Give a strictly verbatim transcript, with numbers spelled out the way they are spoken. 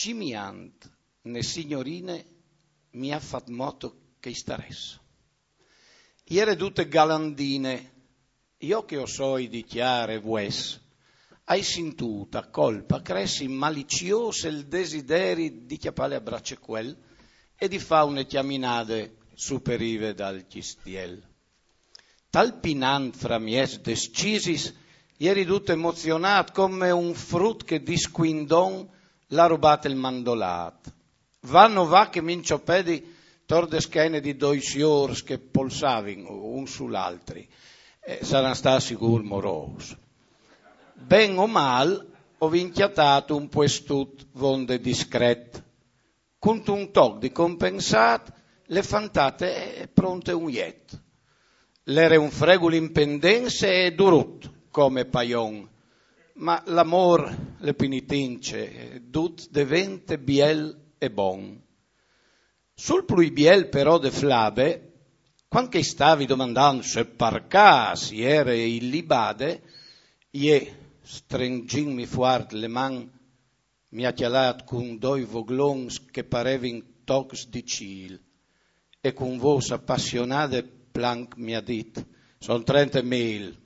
Cimiant, ne signorine, mi ha fat moto che i starès. Iere dute galandine, io che o soi di chiare vues, hai sintut a colpa cressi malicios el desideri di chiapale a bracequel e di fa une chiaminade superive dal chistiel. Tal pinant fra mies descisis, ieri dut emozionat come un frut che di squindon l'ha rubat el mandolat. Va no va che mi inciopedi tor de schene di doi siors che polsavin un sul altri. Eh, saran stats sigur morous. Ben o mal, o vin chiatat un puestut vonde discret. Cuntun toc di compensat, le fantate è pronte un jet. L'ere un fregul in pendense e durut come paion, ma l'amor le pinitince, dut devente biel e bon. Sul plui biel però de flabe, quand che i stavi domandant se par cas i ere ilibade, ie, strengintmi fuart le man, mi ha cjalat cun doi voglons che parevin tocs di cîl, e cun vôs apassionade planc mi ha dit: «Son trente mil.»